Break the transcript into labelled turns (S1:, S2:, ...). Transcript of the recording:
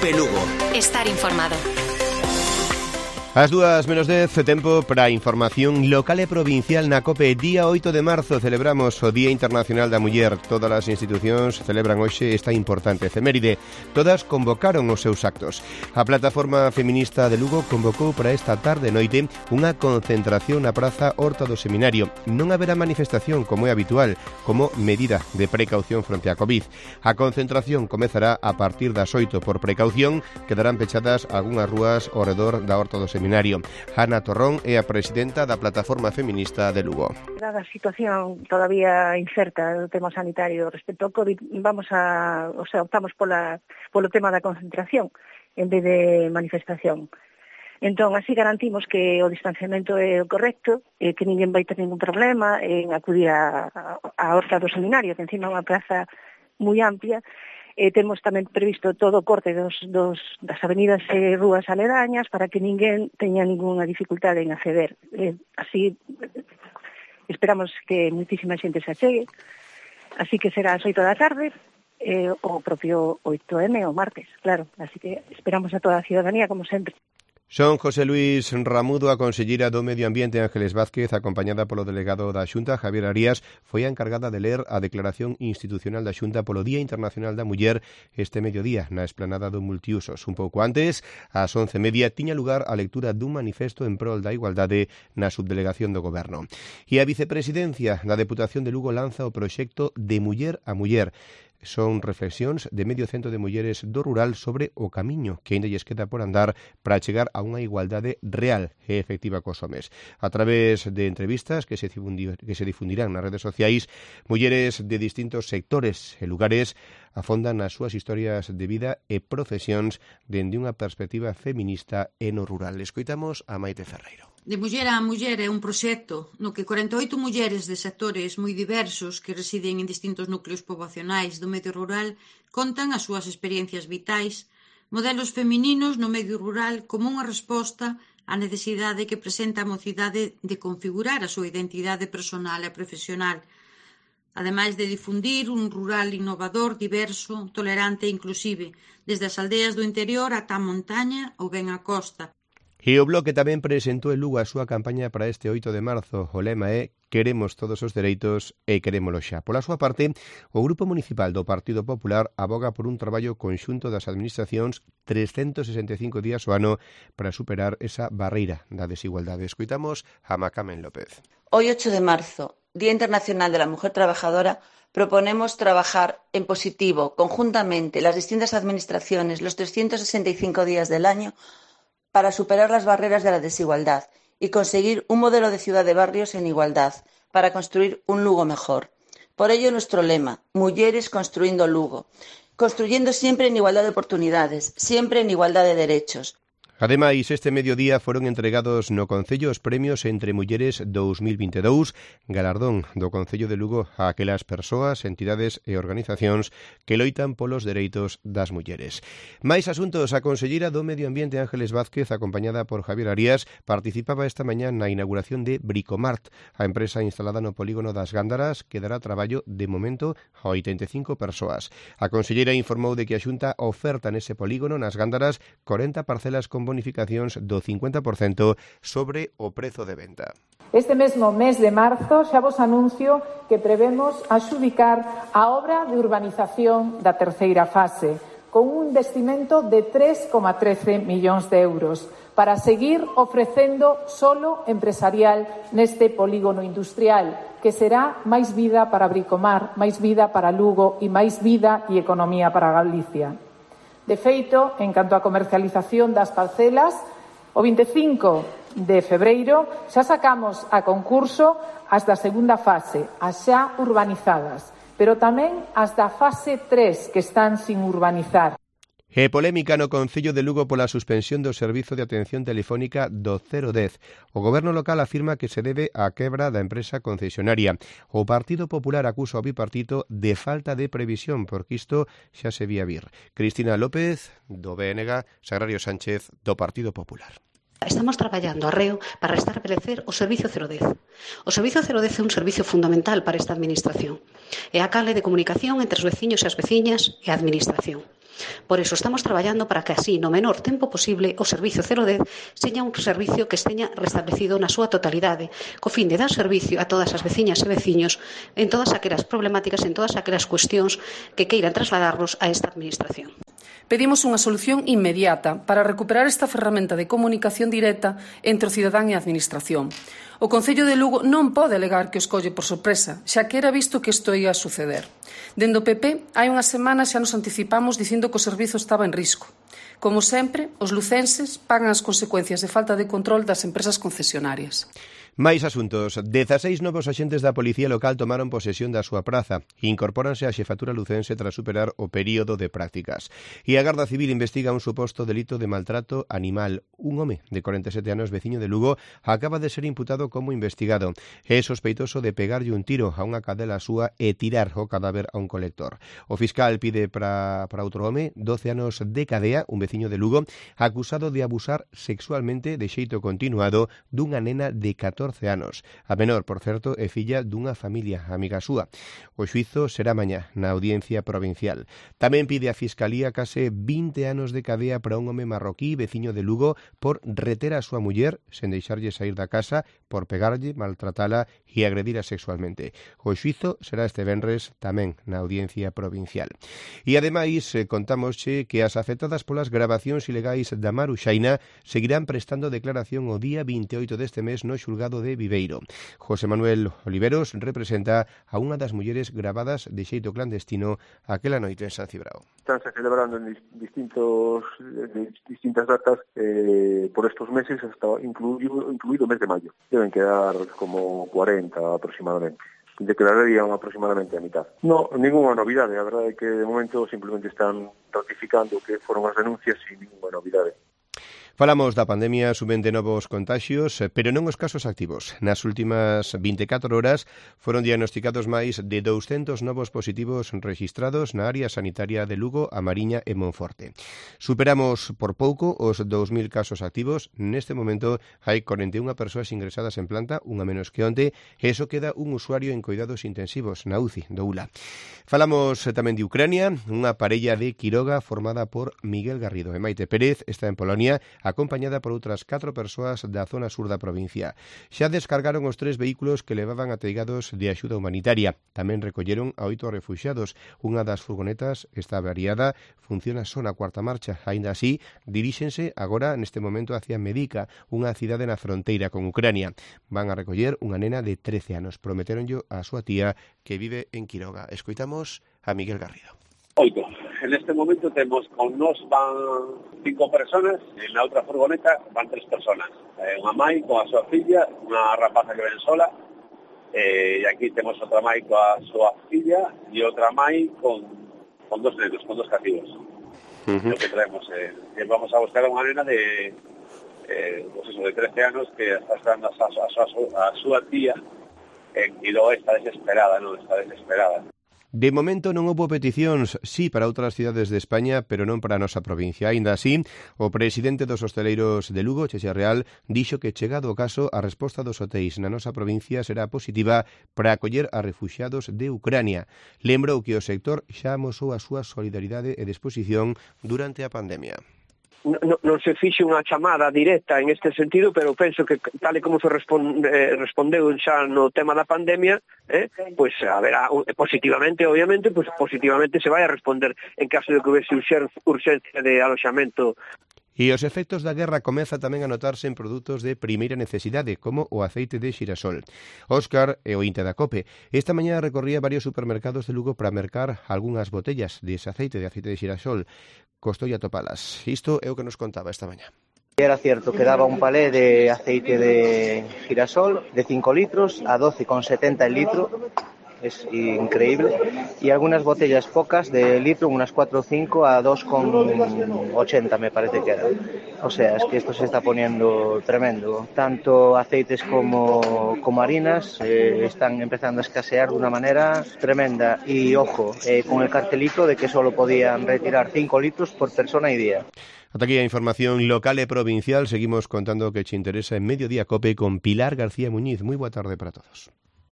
S1: COPE Lugo.
S2: Estar informado.
S3: As 2:10, tempo para a información local e provincial na COPE. Día 8 de marzo celebramos o Día Internacional da Muller. Todas as institucións celebran hoxe esta importante efeméride. Todas convocaron os seus actos. A Plataforma Feminista de Lugo convocou para esta tarde e noite unha concentración na Praza Horta do Seminario. Non haberá manifestación como é habitual, como medida de precaución fronte á Covid. A concentración comezará a partir das 8. Por precaución, quedarán pechadas algunhas rúas ao redor da Horta do Seminario. Ana Torrón é a presidenta da Plataforma Feminista de Lugo.
S4: Dada a situación todavía incerta do tema sanitario respecto ao COVID, optamos polo tema da concentración en vez de manifestación. Entón, así garantimos que o distanciamento é o correcto, que ninguén vai ter ningún problema en acudir a Horta do Seminario, que encima é unha praza moi amplia. Temos tamén previsto todo o corte das avenidas e rúas aledañas para que ninguén teña ninguna dificultade en acceder. Así esperamos que muitísima xente se achegue. Así que será ás 8 da tarde, o propio 8M o martes, claro. Así que esperamos a toda a ciudadanía, como sempre.
S3: Son José Luis Ramudo, a conselleira do Medio Ambiente Ángeles Vázquez, acompañada polo delegado da Xunta, Javier Arías, foi a encargada de ler a declaración institucional da Xunta polo Día Internacional da Muller este mediodía na esplanada do Multiusos. Un pouco antes, ás 11:30, tiña lugar a lectura dun manifesto en prol da igualdade na subdelegación do Goberno. E a vicepresidencia da Deputación de Lugo lanza o proxecto de Muller a Muller. Son reflexións de medio cento de mulleres do rural sobre o camiño que aínda lles queda por andar para chegar a unha igualdade real e efectiva cos homes. A través de entrevistas que se difundirán nas redes sociais, mulleres de distintos sectores e lugares afondan nas súas historias de vida e profesións dende unha perspectiva feminista e no rural. Escoitamos a Maite Ferreiro.
S5: De Muller a Muller é un proxecto no que 48 mulleres de sectores moi diversos que residen en distintos núcleos poboacionais do medio rural contan as súas experiencias vitais, modelos femininos no medio rural como unha resposta á necesidade que presenta a mocidade de configurar a súa identidade personal e profesional, ademais de difundir un rural innovador, diverso, tolerante e inclusive, desde as aldeas do interior ata a montaña ou ben a costa.
S3: E o Bloque tamén presentou en Lugo a súa campaña para este 8 de marzo. O lema é "Queremos todos os dereitos e querémolo xa". Pola súa parte, o Grupo Municipal do Partido Popular aboga por un traballo conxunto das administracións 365 días ao ano para superar esa barreira da desigualdade. Escoitamos a Macamen López.
S6: Hoy, 8 de marzo, Día Internacional de la Mujer Trabajadora, proponemos trabajar en positivo, conjuntamente, las distintas administraciones, los 365 días del año, para superar las barreras de la desigualdad y conseguir un modelo de ciudad de barrios en igualdad, para construir un Lugo mejor. Por ello, nuestro lema, Mulleres construindo Lugo, construyendo siempre en igualdad de oportunidades, siempre en igualdad de derechos.
S3: Ademais, este mediodía foron entregados no Concello os premios Entre Mulleres 2022, galardón do Concello de Lugo a aquelas persoas, entidades e organizacións que loitan polos dereitos das mulleres. Mais asuntos, a conselleira do Medio Ambiente Ángeles Vázquez, acompañada por Javier Arías, participaba esta mañá na inauguración de Bricomart, a empresa instalada no polígono das Gándaras que dará traballo de momento a 85 persoas. A conselleira informou de que a Xunta oferta nese polígono nas Gándaras 40 parcelas con bonificacións do 50% sobre o prezo de venta.
S7: Este mesmo mes de marzo xa vos anuncio que prevemos adxudicar a obra de urbanización da terceira fase, con un investimento de 3,13 millóns de euros, para seguir ofrecendo solo empresarial neste polígono industrial, que será máis vida para Bricomart, máis vida para Lugo e máis vida e economía para Galicia. De feito, en canto á comercialización das parcelas, o 25 de febreiro xa sacamos a concurso as da segunda fase, as xa urbanizadas, pero tamén as da fase 3 que están sin urbanizar.
S3: E polémica no Concello de Lugo pola suspensión do servizo de atención telefónica do 010. O Goberno local afirma que se debe á quebra da empresa concesionaria. O Partido Popular acusa o bipartito de falta de previsión, porque isto xa se vía vir. Cristina López, do BNG, Sagrario Sánchez, do Partido Popular.
S8: Estamos traballando arreo para restabelecer o Servizo 010. O Servizo 010 é un servizo fundamental para esta administración. É a canle de comunicación entre os veciños e as veciñas e a administración. Por eso estamos traballando para que así, no menor tempo posible, o Servizo 010 seña un servicio que esteña restablecido na súa totalidade, co fin de dar servicio a todas as veciñas e veciños en todas aquelas problemáticas, en todas aquelas cuestións que queiran trasladarnos a esta administración.
S1: Pedimos unha solución inmediata para recuperar esta ferramenta de comunicación directa entre o cidadán e a administración. O Concello de Lugo non pode alegar que o escolle por sorpresa, xa que era visto que isto ia a suceder. Dende o PP, hai unhas semanas xa nos anticipamos dicindo que o servizo estaba en risco. Como sempre, os lucenses pagan as consecuencias de falta de control das empresas concesionarias.
S3: Máis asuntos. 16 novos axentes da Policía Local tomaron posesión da súa praza. Incorpóranse á xefatura lucense tras superar o período de prácticas. E a Garda Civil investiga un suposto delito de maltrato animal. Un home de 47 anos, veciño de Lugo, acaba de ser imputado como investigado. É sospeitoso de pegarlle un tiro a unha cadela súa e tirar o cadáver a un colector. O fiscal pide para outro home 12 anos de cadea, un veciño de Lugo, acusado de abusar sexualmente de xeito continuado dunha nena de 14 anos. A menor, por certo, é filla dunha familia amiga súa. O xuízo será mañá na Audiencia Provincial. Tamén pide a Fiscalía case 20 anos de cadea para un home marroquí veciño de Lugo por reter a súa muller sen deixarlle sair da casa, por pegarlle, maltratala e agredira sexualmente. O xuízo será este venres tamén na Audiencia Provincial. E ademais contámosche que as afectadas polas gravacións ilegais da Maruxaina seguirán prestando declaración o día 28 deste mes no xulgado de Viveiro. José Manuel Oliveros representa a unha das mulleres gravadas de xeito clandestino aquela noite en San Cibrao.
S2: Estánse celebrando en distintas datas por estos meses, hasta incluído o mes de mayo. Deben quedar como 40 aproximadamente. Declararían aproximadamente a mitad. No, ninguna novidade. A verdade é que de momento simplemente están ratificando que foron as denuncias sin ninguna novidade.
S3: Falamos da pandemia, suben de novos contaxios, pero non os casos activos. Nas últimas 24 horas foron diagnosticados máis de 200 novos positivos rexistrados na área sanitaria de Lugo, A Mariña e Monforte. Superamos por pouco os 2.000 casos activos. Neste momento hai 41 persoas ingresadas en planta, unha menos que onte, e iso queda un usuario en cuidados intensivos na UCI do ULA. Falamos tamén de Ucrania, unha parella de Quiroga formada por Miguel Garrido e Maite Pérez, está en Polonia, acompañada por outras 4 persoas da zona sur da provincia. Xa descargaron os 3 vehículos que levaban ateigados de axuda humanitaria. Tamén recolleron a 8 refuxiados. Unha das furgonetas está avariada, funciona só na cuarta marcha. Aínda así, diríxense agora neste momento hacia Medica, unha cidade na fronteira con Ucrania. Van a recoller unha nena de 13 anos. Prometeronllo a súa tía que vive en Quiroga. Escoitamos a Miguel Garrido.
S9: 8. En este momento temos con nos van 5 personas, en la outra furgoneta van 3 personas. Unha mãe con a súa filla, unha rapaza que ven sola, e aquí temos outra mãe coa súa filla e outra mãe con 2 nenos, con 2 cativos. Lo que traemos, vamos a buscar a unha nena de 13 anos que está esperando a súa tía e logo está desesperada, non? Está desesperada.
S3: De momento non houbo peticións, sí, para outras cidades de España, pero non para a nosa provincia. Aínda así, o presidente dos hosteleiros de Lugo, Cheche Real, dixo que chegado o caso, a resposta dos hotéis na nosa provincia será positiva para acoller a refuxiados de Ucrania. Lembrou que o sector xa amosou a súa solidaridade e disposición durante a pandemia.
S10: Non se fixe unha chamada directa en este sentido, pero penso que tal e como se respondeu xa no tema da pandemia, pois haberá positivamente, obviamente, pois positivamente se vai a responder en caso de que houvese urxencia de aloxamento.
S3: E os efectos da guerra comeza tamén a notarse en produtos de primeira necesidade, como o aceite de xirasol. Óscar e o Inte da Cope. Esta mañá recorría varios supermercados de Lugo para mercar algunhas botellas dese aceite de xirasol. Costou atopalas. Isto é o que nos contaba esta mañá.
S11: Era cierto que daba un palé de aceite de girasol de 5 litros a 12,70 el litro. Es increíble. Y algunas botellas pocas de litro, unas 4 o 5 a 2,80 me parece que era. O sea, es que esto se está poniendo tremendo. Tanto aceites como harinas están empezando a escasear de una manera tremenda. Y ojo, con el cartelito de que solo podían retirar 5 litros por persona y día.
S3: Ata aquí a información local e provincial. Seguimos contando o que che interesa en Mediodía Cope con Pilar García Muñiz. Moi boa tarde para todos.